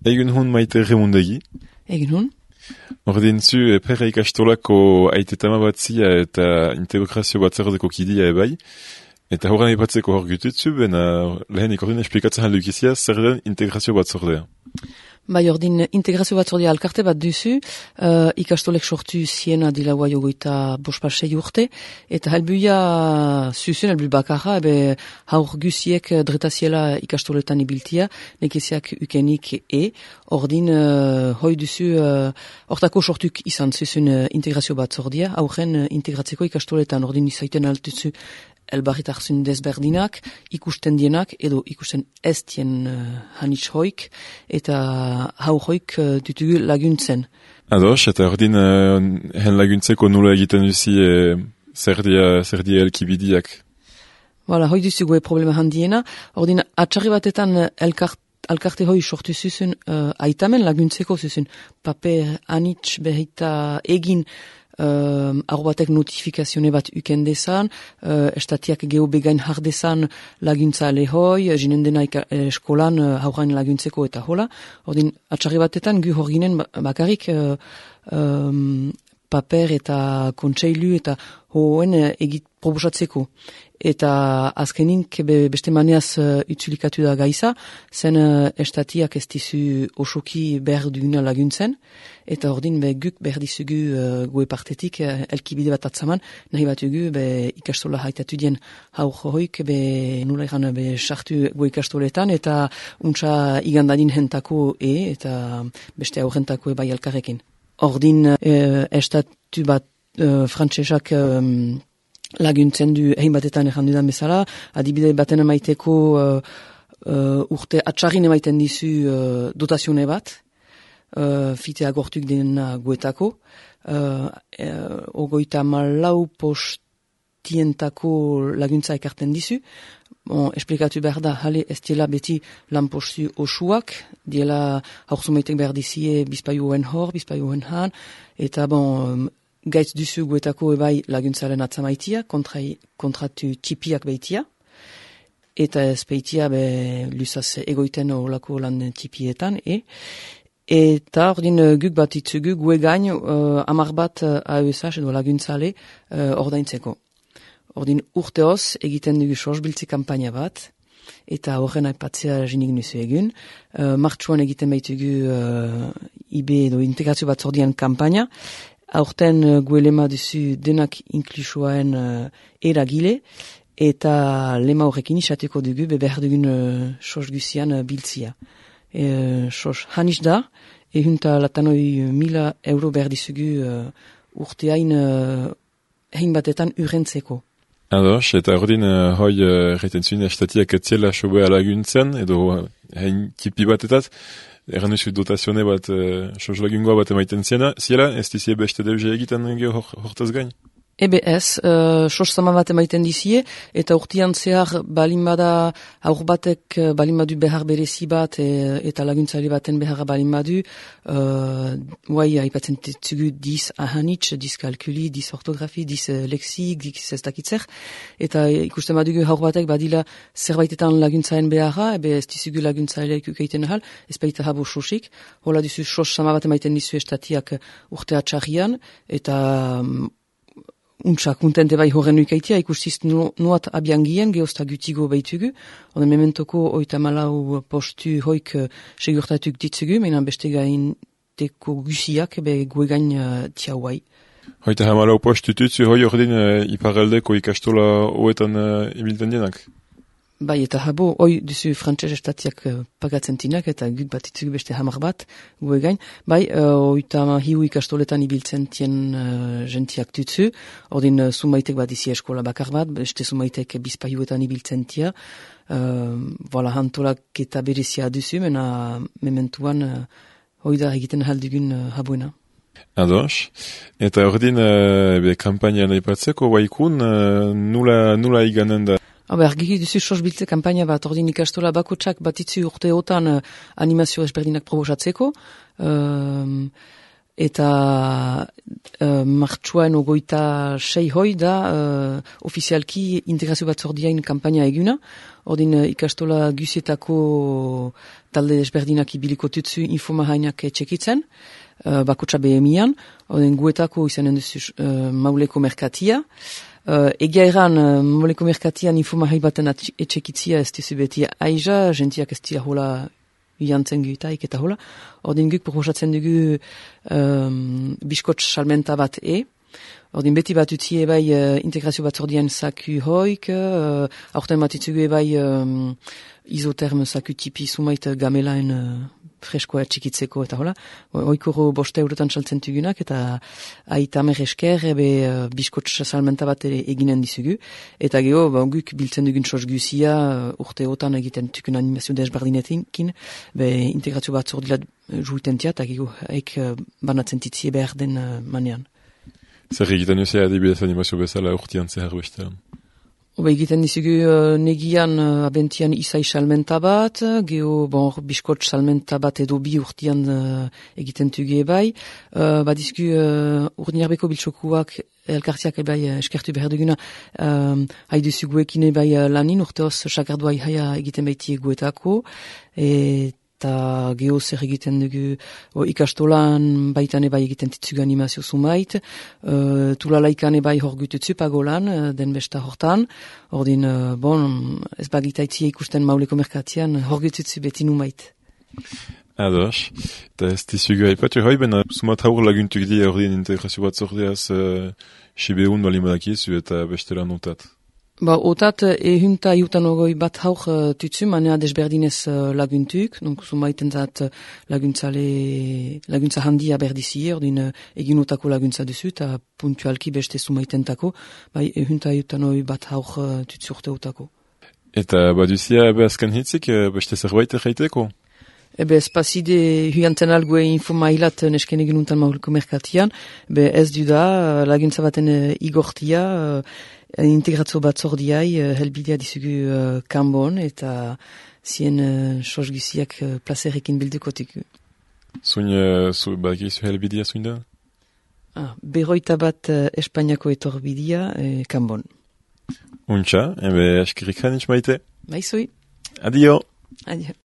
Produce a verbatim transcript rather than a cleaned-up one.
Egun hun Maite Remundegi. Egun hun. Ordin zu e, perra ikastolako aitetama batzia eta integrazio batzordeko kidia ebai. Eta horren ipatzeko hor gututzu, bena lehenik ordin esplikatzen handukizia zer den integrazio batzordea. Bai, ordin integrazio batzordea alkarte bat duzu, uh, ikastolek sortu ziena dila guai ogoita bospasei urte, eta helbuia zuzun, helbu bakarra, ebe haur guziek dretaziela ikastoletan ibiltia, nekeziak ukenik e, ordin uh, hoi duzu, uh, hortako sortuk izan zuzun uh, integrazio batzordea, aurren uh, integratzeko ikastoletan, ordin izaiten altuzu elbarritarzun desberdinak, ikusten dienak, edo ikusten ez dien uh, hanitz hoik, eta hau hoik uh, dutugu laguntzen. Ados, eta ordin uh, hen laguntzeko nula egiten duzi e, zer dia, zer dia elkibidiak? Voilà, hoi duzugu e problema handiena, ordin atxarri batetan elkart alkarte hoi sortu zuzun uh, aitamen laguntzeko zuzun paper hanitz behita egin Uh, arro batek notifikazione bat uken desan, uh, estatiak geho begain jardezan laguntza lehoi, jinen dena ika, eh, eskolan uh, haurain laguntzeko eta hola. Ordin, atxarri batetan gu hor ginen bakarrik uh, um, paper eta kontseilu eta hoen uh, egit proposatzeko. Eta azkenink be, beste maneaz uh, utzulikatu da gaiza, zen uh, estatiak ez dizu osoki behar duguna laguntzen, eta ordin be guk behar dizugu uh, goe partetik uh, elkibide bat atzaman, nahi batugu be ikastola haitatu dien haur hoik be nula egan be sartu goe ikastoletan, eta untsa igandadin hentako e, eta beste aurrentako e bai elkarrekin. Ordin uh, estatu bat uh, frantsesak um, laguntzen du egin batetan errandu da bezala, adibide baten emaiteko uh, uh, urte atxarrin emaiten dizu uh, dotazione bat, uh, fitea gortuk dena guetako, uh, uh, ogoita malau postientako laguntza ekarten dizu. Bon, esplikatu behar da, jale ez diela beti lan postu osuak, diela haurzumaitek behar dizie bizpaioen hor, bizpaioen han, eta bon, gaitz duzu guetako ebai laguntzaren atzamaitia, kontra, kontratu tipiak behitia, eta ez behitia be luzaz egoiten olako lan tipietan, e. Eta ordin guk bat itzugu gue gain uh, amar bat uh, A E S H edo laguntzale uh, ordaintzeko. Ordin urteoz egiten dugu sosbiltze kampaina bat, eta horren aipatzea jinik nuzu egun. Uh, martxuan egiten baitugu uh, I B edo integrazio bat zordian kampaina, aurten uh, guelema duzu denak inklusuaen uh, eragile, eta lema horrekin isateko dugu, be behar dugun uh, sos guzian uh, biltzia. E, sos hanis da, ehunta latanoi mila euro behar dizugu uh, urteain uh, hein batetan urrentzeko. Ados, eta ordin uh, hoi erraiten uh, zuen estatiak etziela sobea laguntzen, edo hein tipi batetat, erran duzu dotazione bat, uh, sos lagungoa bat emaiten ziena, ziela, ez dizie beste deuze egiten geho hortaz gain? E B S, uh, sos sama bat emaiten dizie, eta urtean zehar balin bada, aur batek balin badu behar berezi bat, e, eta laguntzaile baten behar balin badu, uh, guai haipatzen zugu diz ahanitz, diz kalkuli, diz ortografi, diz leksik, diz ez dakitzer, eta ikusten badugu aur batek badila zerbaitetan laguntzaen beharra, ebe ez dizugu laguntzaileak ukeiten ahal, ez baita habo sosik, hola dizu sos sama bat emaiten dizu estatiak urtea txarrian, eta um, untsa kontente bai horren ukaitia, ikustiz nuat abiangien, geozta gutigo baitugu, hone mementoko oita malau postu hoik segurtatuk ditzugu, menan beste gain teko guziak, be guegain uh, tiauai. Hoita hamalau postu tutzu, hoi ordin uh, iparaldeko ikastola hoetan uh, ibilten dienak? Bai, eta habo, hoi duzu frantses estatiak uh, pagatzen tinak, eta gut bat itzugu beste hamar bat, gue gain. Bai, uh, oita hiu ikastoletan ibiltzen tien uh, gentiak tutzu, ordin uh, sumaitek bat izi eskola bakar bat, beste sumaitek bizpaiuetan ibiltzen tia, uh, voilà, hantolak eta berezia duzu, mena mementuan uh, hoi da egiten haldugun uh, habuena. Ados, eta ordin uh, be kampaina nahi patzeko, baikun, uh, nula, nula iganen da? Haba, ergiki duzu sosbiltze kampaina bat, ordin ikastola bakotsak batitzu urteotan uh, animazio ezberdinak probosatzeko. Um, eta uh, martxuan ogoita sei hoi da uh, ofizialki integrazio batzordiain kampaina eguna. Ordin uh, ikastola gusietako talde desberdinak ibiliko tutsu infomahainak txekitzen, uh, bakotsa behemian, ordin guetako izanen duzu uh, mauleko merkatia. Uh, egia eran, uh, mauleko merkatian infomahai baten etxekitzia ez duzu beti aiza, gentiak ez dira hola jantzen guitaik eta hola. Ordin guk proposatzen dugu um, biskotx salmenta bat e. Ordin beti bat utzi ebai uh, integrazio batzordian saku hoik, uh, aurten bat itzugu ebai um, izoterm saku tipi sumait gamelaen uh, freskoa txikitzeko eta hola. Oikoro boste eurotan saltzen tugunak eta aitamer esker ebe uh, biskotx salmenta bat eginen dizugu. Eta geho, ba, guk biltzen dugun sos guzia uh, urteotan egiten tukun animazio desbardinetin, be integrazio batzordila juiten tia, eta geho, haik uh, banatzen titzie behar den uh, manean. Zer egiten duzea adibidez animazio bezala urtean zehar bestean? Oba egiten dizugu uh, negian uh, abentian izai salmenta bat, geho bon, biskotx salmenta bat edo bi urtean uh, egiten tuge bai. Uh, bat dizugu uh, urdinarbeko biltsokuak elkartiak ebai uh, eskertu behar duguna um, haidu zuguekin ebai uh, lanin urteoz sakardua ihaia egiten baiti eguetako. Eta geho zer egiten dugu o, ikastolan baitan ebai egiten titzugu animazio sumait, uh, tulalaikan ebai hor gututzu pagolan, uh, den besta hortan, ordin, uh, bon, ez bagitaitzia ikusten mauleko merkatian, hor gututzu beti numait. Ados, eta ez dizugu haipatu hoi, bena sumat haur laguntuk di ordin integrazio bat zordeaz uh, sibeun balimadakizu eta bestela notat. Ba, otat, ehunta iutan ogoi bat haur uh, tutsu, manea desberdinez uh, laguntuk, donc sumaiten zat uh, laguntzale, laguntza handia berdizie, ordin uh, eginotako laguntza duzu, eta puntualki beste sumaitentako, bai, ehunta iutan ogoi bat haur uh, tutsu urte utako. Eta baduzia ebe azken hitzik, beste zerbait erraiteko? Ebe espazide huiantzen algue infomailat nesken egin untan maulko merkatian, be ez du da laguntza baten uh, igortia, uh, integratzo batzordiai uh, helbidea dizugu uh, kanbon eta zien uh, sos guziak uh, placerekin bildukotik. Zuin, uh, zu, badakizu helbidea zuin da? Ah, berroita bat uh, Espainiako etorbidea uh, kanbon. Untxa, ebe eskerrik hanitz maite. Baizoi. Adio. Adio.